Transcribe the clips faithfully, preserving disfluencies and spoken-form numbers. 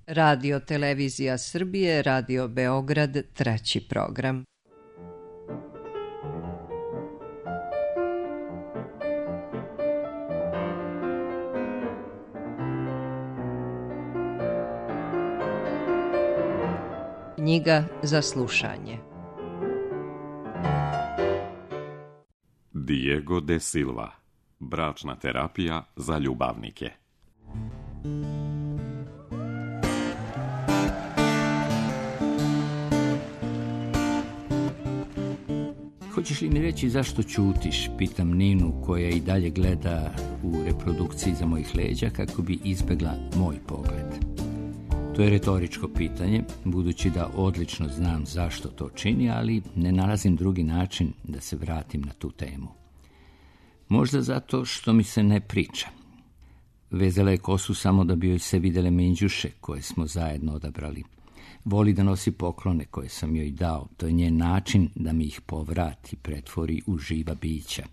Radio Televizija Srbije, Radio Beograd, treći program. Knjiga za slušanje. Diego de Silva. Bračna terapija za ljubavnike. Hoćeš li mi reći zašto ćutiš, pitam Ninu koja i dalje gleda u reprodukciji iza mojih leđa kako bi izbegla moj pogled. To je retoričko pitanje, budući da odlično znam zašto to čini, ali ne nalazim drugi način da se vratim na tu temu. Možda zato što mi se ne priča. Vezala je kosu samo da bi joj se vidjele minđuše koje smo zajedno odabrali. Voli da nosi poklone koje sam joj dao. To je njen način da mi ih povrati, pretvori u živa bića.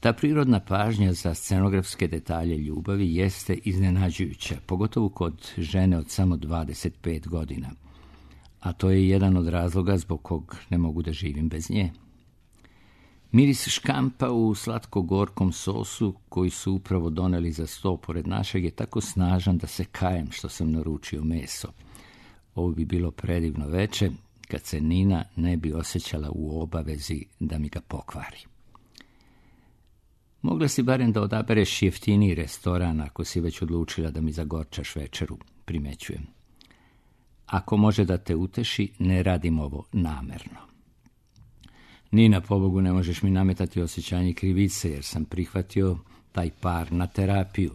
Ta prirodna pažnja za scenografske detalje ljubavi jeste iznenađujuća, pogotovo kod žene od samo dvadeset pet godina. A to je jedan od razloga zbog kog ne mogu da živim bez nje. Miris škampa u slatko-gorkom sosu koji su upravo doneli za sto pored našeg je tako snažan da se kajem što sam naručio meso. Ovo bi bilo predivno veče kad se Nina ne bi osjećala u obavezi da mi ga pokvari. Mogla si barem da odabereš jeftiniji restoran ako si već odlučila da mi zagorčaš večeru, primećujem. Ako može da te uteši, ne radim ovo namerno. Nina, pobogu, ne možeš mi nametati osjećanje krivice jer sam prihvatio taj par na terapiju.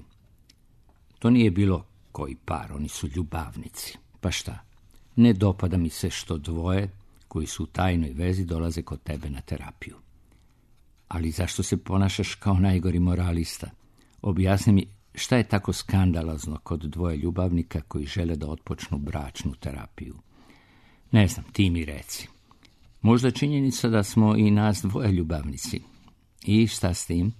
To nije bilo koji par, oni su ljubavnici. Pa šta? Ne dopada mi se što dvoje koji su u tajnoj vezi dolaze kod tebe na terapiju. Ali zašto se ponašaš kao najgori moralista? Objasni mi šta je tako skandalozno kod dvoje ljubavnika koji žele da otpočnu bračnu terapiju. Ne znam, ti mi reci. Možda činjenica da smo i nas dvoje ljubavnici. I šta s tim?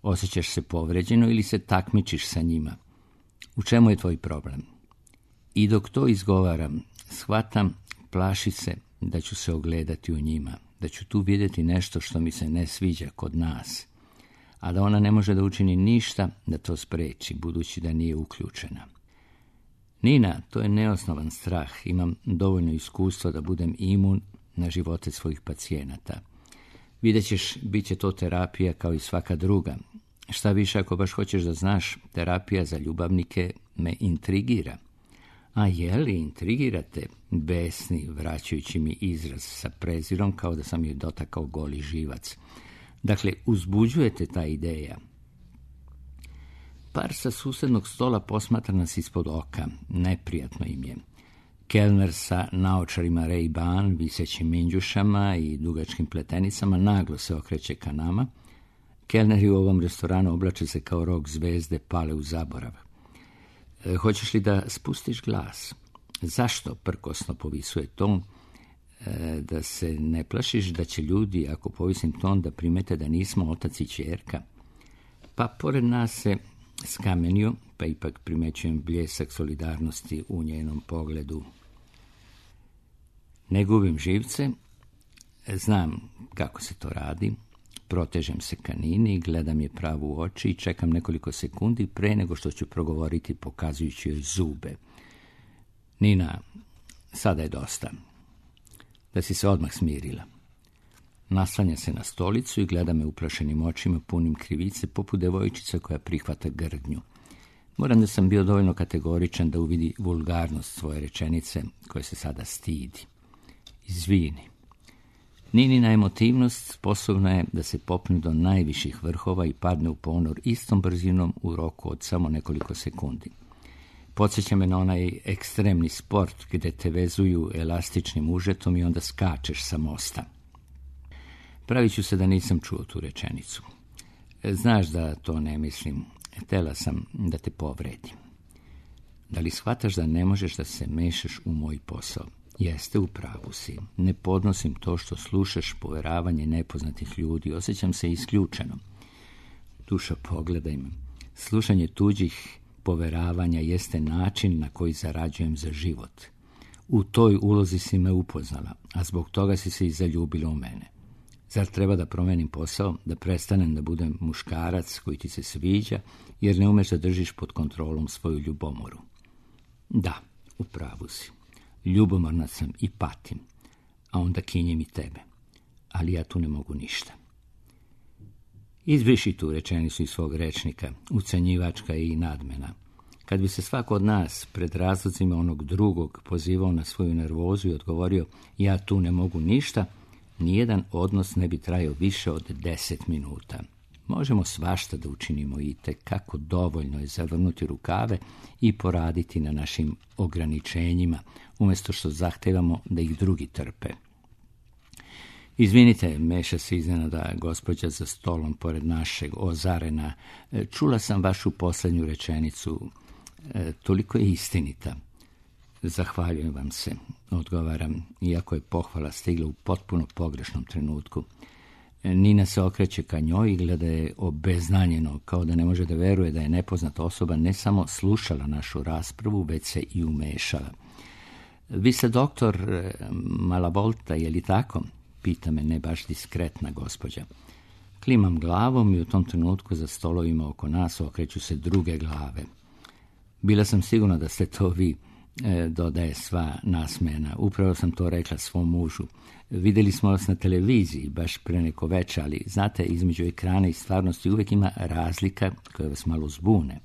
Osjećaš se povređeno ili se takmičiš sa njima? U čemu je tvoj problem? I dok to izgovaram, shvatam, plaši se da ću se ogledati u njima, da ću tu vidjeti nešto što mi se ne sviđa kod nas, a da ona ne može da učini ništa da to spreči, budući da nije uključena. Nina, to je neosnovan strah, imam dovoljno iskustva da budem imun na živote svojih pacijenata. Vidjet ćeš, bit će to terapija kao i svaka druga. Šta više, ako baš hoćeš da znaš, terapija za ljubavnike me intrigira. A je li intrigirate, besni, vraćajući mi izraz sa prezirom kao da sam joj dotakao goli živac. Dakle, uzbuđujete ta ideja. Par sa susednog stola posmatra nas ispod oka, neprijatno im je. Kelner sa naočarima Ray-Ban, visećim minđušama i dugačkim pletenicama naglo se okreće ka nama. Kelneri u ovom restoranu oblače se kao rok zvezde, pale u zaborav. E, hoćeš li da spustiš glas? Zašto prkosno povisuje ton? E, da se ne plašiš da će ljudi, ako povisim ton, da primete da nismo otac i ćerka? Pa pored nas se skamenio, pa ipak primećujem bljesak solidarnosti u njenom pogledu. Ne gubim živce, znam kako se to radi, protežem se ka Nini, gledam je pravo u oči i čekam nekoliko sekundi pre nego što ću progovoriti pokazujući joj zube. Nina, sada je dosta. Da si se odmah smirila. Naslanja se na stolicu i gleda me uplašenim očima punim krivice poput devojčica koja prihvata grdnju. Moram da sam bio dovoljno kategoričan da uvidi vulgarnost svoje rečenice koje se sada stidi. Izvini. Ninina emotivnost sposobna je da se popne do najviših vrhova i padne u ponor istom brzinom u roku od samo nekoliko sekundi. Podsjeća me na onaj ekstremni sport gde te vezuju elastičnim užetom i onda skačeš sa mosta. Pravit ću se da nisam čuo tu rečenicu. Znaš da to ne mislim. Htela sam da te povredim. Da li shvataš da ne možeš da se mešaš u moj posao? Jeste, u pravu si. Ne podnosim to što slušaš poveravanje nepoznatih ljudi. Osjećam se isključeno. Dušo, pogledaj me. Slušanje tuđih poveravanja jeste način na koji zarađujem za život. U toj ulozi si me upoznala, a zbog toga si se i zaljubila u mene. Zar treba da promenim posao, da prestanem da budem muškarac koji ti se sviđa, jer ne umeš da držiš pod kontrolom svoju ljubomoru? Da, u pravu si. Ljubomorna sam i patim, a onda kinjem i tebe. Ali ja tu ne mogu ništa. Izbriši tu rečenicu iz svog rečnika, ucenjivačka i nadmena. Kad bi se svako od nas pred razlozima onog drugog pozivao na svoju nervozu i odgovorio ja tu ne mogu ništa, nijedan odnos ne bi trajao više od deset minuta. Možemo svašta da učinimo i tekako dovoljno je zavrnuti rukave i poraditi na našim ograničenjima, umjesto što zahtevamo da ih drugi trpe. Izvinite, meša se iznenada gospođa za stolom pored našeg ozarena. Čula sam vašu posljednju rečenicu. E, toliko je istinita. Zahvaljujem vam se, odgovaram, iako je pohvala stigla u potpuno pogrešnom trenutku. Nina se okreće ka njoj i gleda je obeznanjeno, kao da ne može da veruje da je nepoznata osoba ne samo slušala našu raspravu, već se i umešala. Vi ste doktor Malavolta, je li tako? Pita me ne baš diskretna gospođa. Klimam glavom i u tom trenutku za stolovima oko nas okreću se druge glave. Bila sam sigurna da ste to vi, e, dodaje sva nasmena. Upravo sam to rekla svom mužu. Vidjeli smo vas na televiziji baš pre neko veče, ali znate, između ekrana i stvarnosti uvijek ima razlika koja vas malo zbune.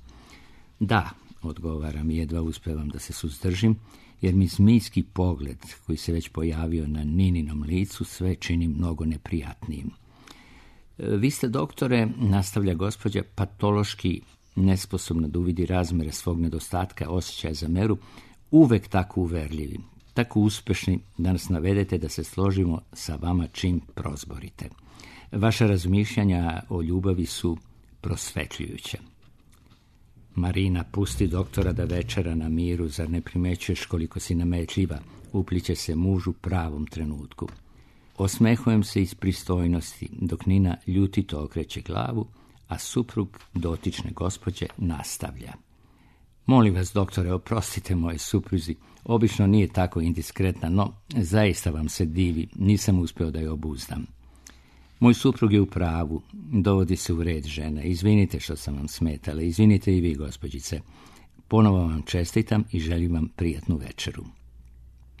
Da, odgovaram i jedva uspevam da se suzdržim, jer mi zmijski pogled koji se već pojavio na Nininom licu sve čini mnogo neprijatnijim. Vi ste, doktore, nastavlja gospođa, patološki nesposobna da uvidi razmere svog nedostatka osjećaja za meru, uvek tako uverljivi, tako uspešni da nas navedete da se složimo sa vama čim prozborite. Vaša razmišljanja o ljubavi su prosvetljujuća. Marina, pusti doktora da večera na miru, zar ne primećuješ koliko si nametljiva, upliće se mužu pravom trenutku. Osmehujem se iz pristojnosti, dok Nina ljutito okreće glavu, a suprug dotične gospođe nastavlja. Molim vas, doktore, oprostite moje supruzi, obično nije tako indiskretna, no zaista vam se divi, nisam uspio da je obuzdam. Moj suprug je u pravu, dovodi se u red žena, izvinite što sam vam smetala, izvinite i vi, gospođice. Ponovo vam čestitam i želim vam prijatnu večeru.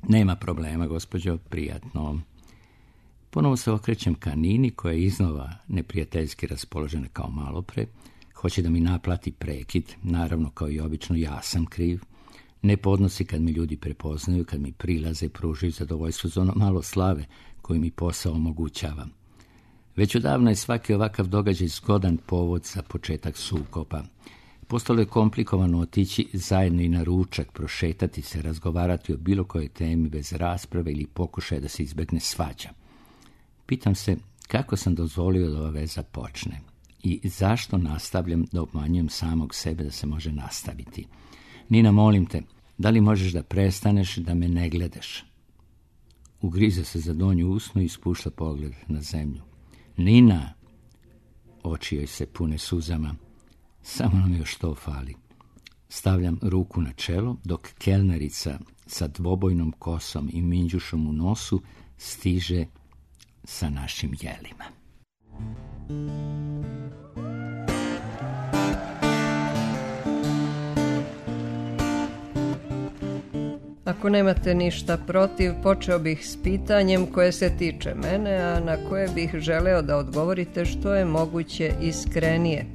Nema problema, gospođo, prijatno. Ponovo se okrećem ka Nini, koja je iznova neprijateljski raspoložena kao malopre. Hoće da mi naplati prekid, naravno kao i obično ja sam kriv. Ne podnosi kad mi ljudi prepoznaju, kad mi prilaze, pružaju zadovoljstvo za ono malo slave koju mi posao omogućava. Već odavno je svaki ovakav događaj zgodan povod za početak sukoba. Postalo je komplikovano otići zajedno i na ručak, prošetati se, razgovarati o bilo kojoj temi bez rasprave ili pokušaja da se izbegne svađa. Pitam se kako sam dozvolio da ova veza počne i zašto nastavljam da obmanjujem samog sebe da se može nastaviti. Nina, molim te, da li možeš da prestaneš da me ne gledaš? Ugriza se za donju usnu i spušta pogled na zemlju. Nina, oči joj se pune suzama, samo nam još to fali. Stavljam ruku na čelo, dok kelnerica sa dvobojnom kosom i minđušom u nosu stiže sa našim jelima. Ako nemate ništa protiv, počeo bih s pitanjem koje se tiče mene, a na koje bih želeo da odgovorite što je moguće iskrenije.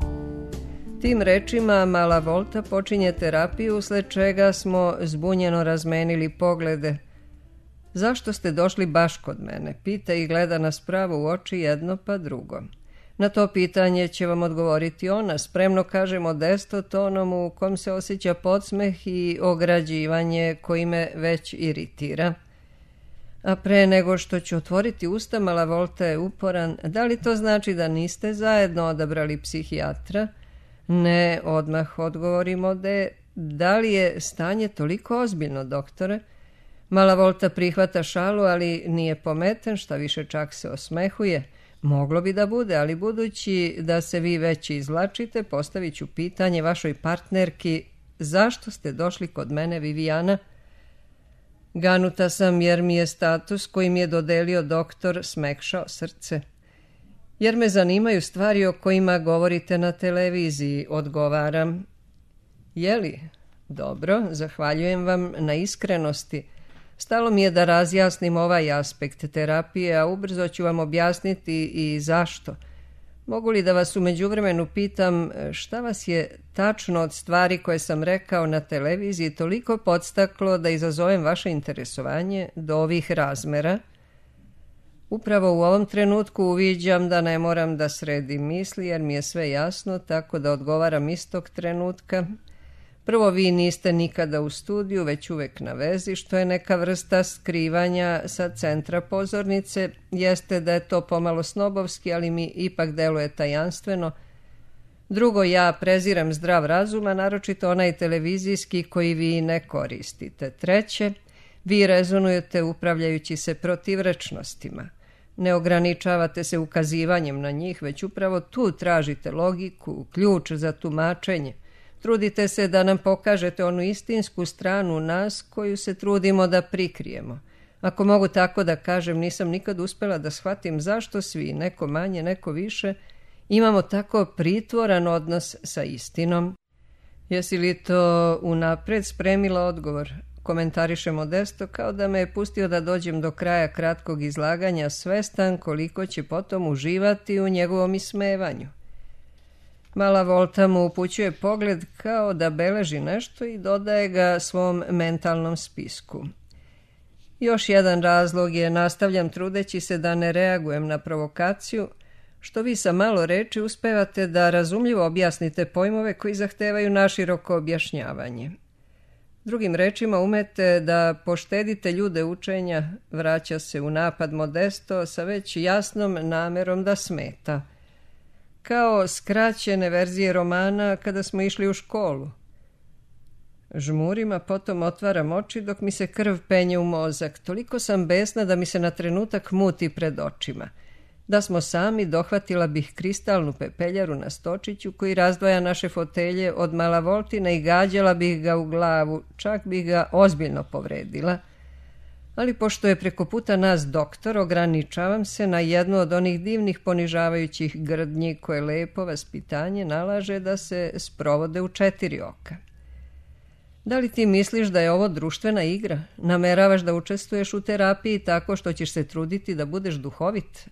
Tim rečima Malavolta počinje terapiju, usled čega smo zbunjeno razmenili poglede. Zašto ste došli baš kod mene? Pita i gleda nas pravo u oči jedno pa drugo. Na to pitanje će vam odgovoriti ona, spremno kaže modesto tonom u kom se osjeća podsmeh i ograđivanje koji me već iritira. A pre nego što ću otvoriti usta, Malavolta je uporan. Da li to znači da niste zajedno odabrali psihijatra? Ne, odmah odgovorimo da da li je stanje toliko ozbiljno, doktore? Malavolta prihvata šalu, ali nije pometen, šta više čak se osmehuje. Moglo bi da bude, ali budući da se vi već izvlačite, postavit ću pitanje vašoj partnerki zašto ste došli kod mene, Vivijana? Ganuta sam jer mi je status koji mi je dodelio doktor smekšao srce. Jer me zanimaju stvari o kojima govorite na televiziji, odgovaram. Jeli? Dobro, zahvaljujem vam na iskrenosti. Stalo mi je da razjasnim ovaj aspekt terapije, a ubrzo ću vam objasniti i zašto. Mogu li da vas u međuvremenu pitam šta vas je tačno od stvari koje sam rekao na televiziji toliko podstaklo da izazovem vaše interesovanje do ovih razmera? Upravo u ovom trenutku uviđam da ne moram da sredim misli jer mi je sve jasno, tako da odgovaram istog trenutka. Prvo, vi niste nikada u studiju, već uvek na vezi, što je neka vrsta skrivanja sa centra pozornice. Jeste da je to pomalo snobovski, ali mi ipak deluje tajanstveno. Drugo, ja preziram zdrav razum, a naročito onaj televizijski koji vi ne koristite. Treće, vi rezonujete upravljajući se protivrečnostima. Ne ograničavate se ukazivanjem na njih, već upravo tu tražite logiku, ključ za tumačenje. Trudite se da nam pokažete onu istinsku stranu nas koju se trudimo da prikrijemo. Ako mogu tako da kažem, nisam nikad uspjela da shvatim zašto svi, neko manje, neko više, imamo tako pritvoran odnos sa istinom. Jesi li to unapred spremila odgovor? Komentariše Modesto kao da me je pustio da dođem do kraja kratkog izlaganja, svestan koliko će potom uživati u njegovom ismevanju. Mala Volta mu upućuje pogled kao da beleži nešto i dodaje ga svom mentalnom spisku. Još jedan razlog je, nastavljam trudeći se da ne reagujem na provokaciju, što vi sa malo reči uspevate da razumljivo objasnite pojmove koji zahtevaju naširoko objašnjavanje. Drugim rečima umete da poštedite ljude učenja, vraća se u napad Modesto sa već jasnom namerom da smeta. Kao skraćene verzije romana kada smo išli u školu. Žmurim, a potom otvaram oči dok mi se krv penje u mozak. Toliko sam besna da mi se na trenutak muti pred očima. Da smo sami, dohvatila bih kristalnu pepeljaru na stočiću koji razdvaja naše fotelje od Mala Voltina i gađala bih ga u glavu, čak bih ga ozbiljno povredila. Ali pošto je preko puta nas doktor, ograničavam se na jednu od onih divnih ponižavajućih grdnji koje lepo vaspitanje nalaže da se sprovode u četiri oka. Da li ti misliš da je ovo društvena igra? Nameravaš da učestvuješ u terapiji tako što ćeš se truditi da budeš duhovit?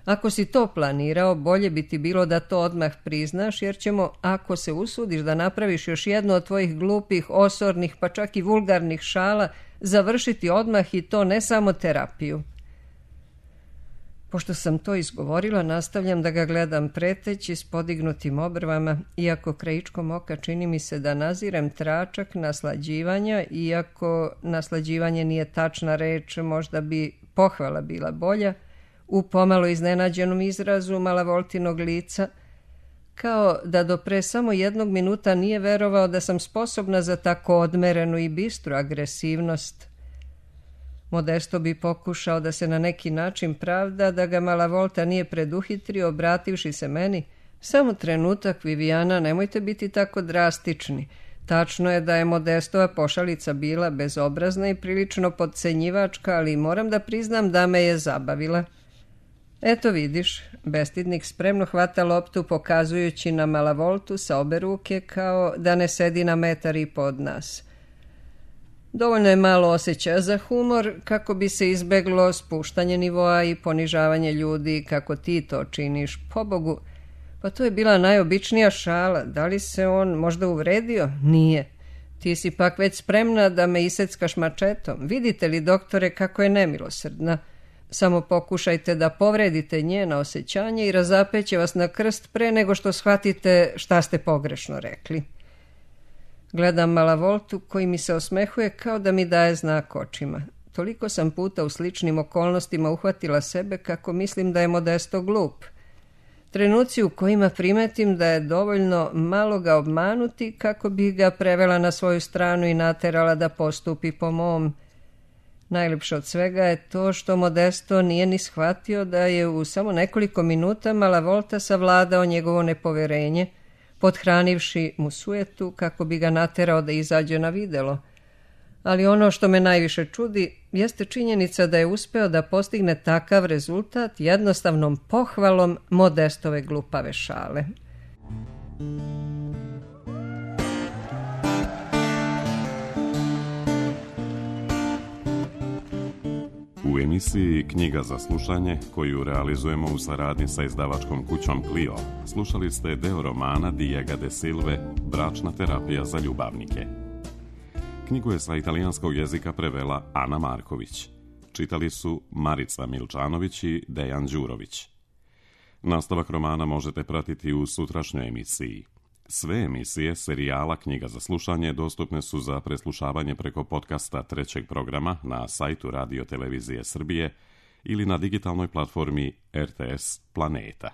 Ako si to planirao, bolje bi ti bilo da to odmah priznaš, jer ćemo, ako se usudiš da napraviš još jednu od tvojih glupih, osornih, pa čak i vulgarnih šala, završiti odmah i to ne samo terapiju. Pošto sam to izgovorila, nastavljam da ga gledam preteći s podignutim obrvama, iako krajičkom oka čini mi se da nazirem tračak naslađivanja, iako naslađivanje nije tačna reč, možda bi pohvala bila bolja, u pomalo iznenađenom izrazu Mala Voltinog lica, kao da do pre samo jednog minuta nije verovao da sam sposobna za tako odmerenu i bistru agresivnost. Modesto bi pokušao da se na neki način pravda da ga Mala Volta nije preduhitrio, obrativši se meni. Samo trenutak, Vivijana, nemojte biti tako drastični. Tačno je da je Modestova pošalica bila bezobrazna i prilično podcenjivačka, ali moram da priznam da me je zabavila. Eto vidiš, bestidnik spremno hvata loptu pokazujući na Mala Voltu sa obe ruke kao da ne sedi na metar i pod nas. Dovoljno je malo osjećaja za humor kako bi se izbeglo spuštanje nivoa i ponižavanje ljudi kako ti to činiš. Pobogu, pa to je bila najobičnija šala. Da li se on možda uvredio? Nije. Ti si pak već spremna da me iseckaš mačetom. Vidite li, doktore, kako je nemilosrdna? Samo pokušajte da povredite njena osjećanja i razapeće vas na krst pre nego što shvatite šta ste pogrešno rekli. Gledam Mala Voltu koji mi se osmehuje kao da mi daje znak očima. Toliko sam puta u sličnim okolnostima uhvatila sebe kako mislim da je Modesto glup. Trenuci u kojima primetim da je dovoljno malo ga obmanuti kako bi ga prevela na svoju stranu i naterala da postupi po mom. Najljepše od svega je to što Modesto nije ni shvatio da je u samo nekoliko minuta Mala Volta savladao njegovo nepoverenje, pothranivši mu sujetu kako bi ga naterao da izađe na videlo. Ali ono što me najviše čudi jeste činjenica da je uspeo da postigne takav rezultat jednostavnom pohvalom Modestove glupave šale. U emisiji Knjiga za slušanje, koju realizujemo u saradnji sa izdavačkom kućom Clio, slušali ste deo romana Diega de Silve Bračna terapija za ljubavnike. Knjigu je sa italijanskog jezika prevela Ana Marković. Čitali su Marica Milčanović i Dejan Đurović. Nastavak romana možete pratiti u sutrašnjoj emisiji. Sve emisije serijala Knjiga za slušanje dostupne su za preslušavanje preko podcasta trećeg programa na sajtu Radio Televizije Srbije ili na digitalnoj platformi R T S Planeta.